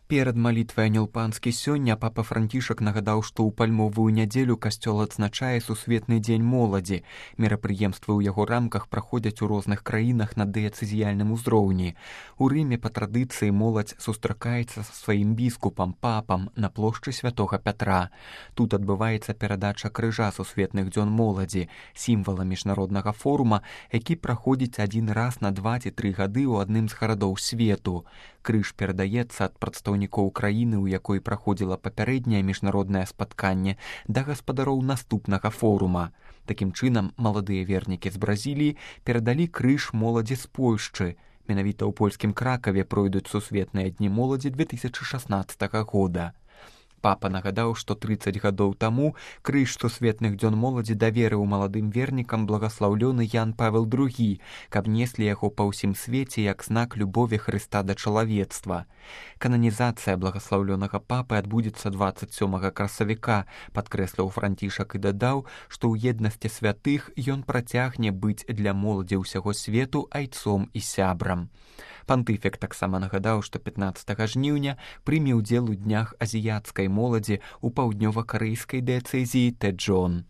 Перад малітвай Анёл Панскі сёння папа Францішак нагадаў, што ў пальмовую нядзелю касцёл адзначае сусветны дзень моладзі. Мерапрыемствы ў яго рамках праходзяць у розных краінах на дыяцэзіяльным узроўні. У Рыме па традыцыі моладзь сустракаецца са сваім біскупам, папам на плошчы святога Пятра. Тут адбываецца перадача крыжа сусветных дзён моладзі, сімвала міжнароднага форума, які праходзіць адзін раз на 2 ці 3 гады ў адным з гарадоў свету. Крыж перадаецца ад прадстаўнікоў краіны, у якой праходзіла папярэдняе міжнароднае спатканне, да гаспадароў наступнага форума. Такім чынам, маладыя вернікі з Бразіліі перадалі крыж моладзі з Польшчы. Менавіта ў польскім Кракаве пройдуць сусветныя дні моладзі 2016 года. Папа нагадаў, што 30 гадоў таму крыж сусветных дзён моладзі даверыў маладым вернікам благаслаўлёны Ян Павел II, каб неслі яго па ўсім свеце як знак любові Хрыста да чалавецтва. Кананізацыя благаслаўлёнага папы адбудзецца 27 красавіка, падкрэсліў Францішак і дадаў, што ў еднасці святых ён працягне быць для моладзі ўсяго свету айцом і сябрам. Пантыфік таксама нагадаў, што 15 жніўня прыме ўдзел у днях азіяцкай моладзі ў паўднёва-карэйскай дыяцэзіі Тэджон.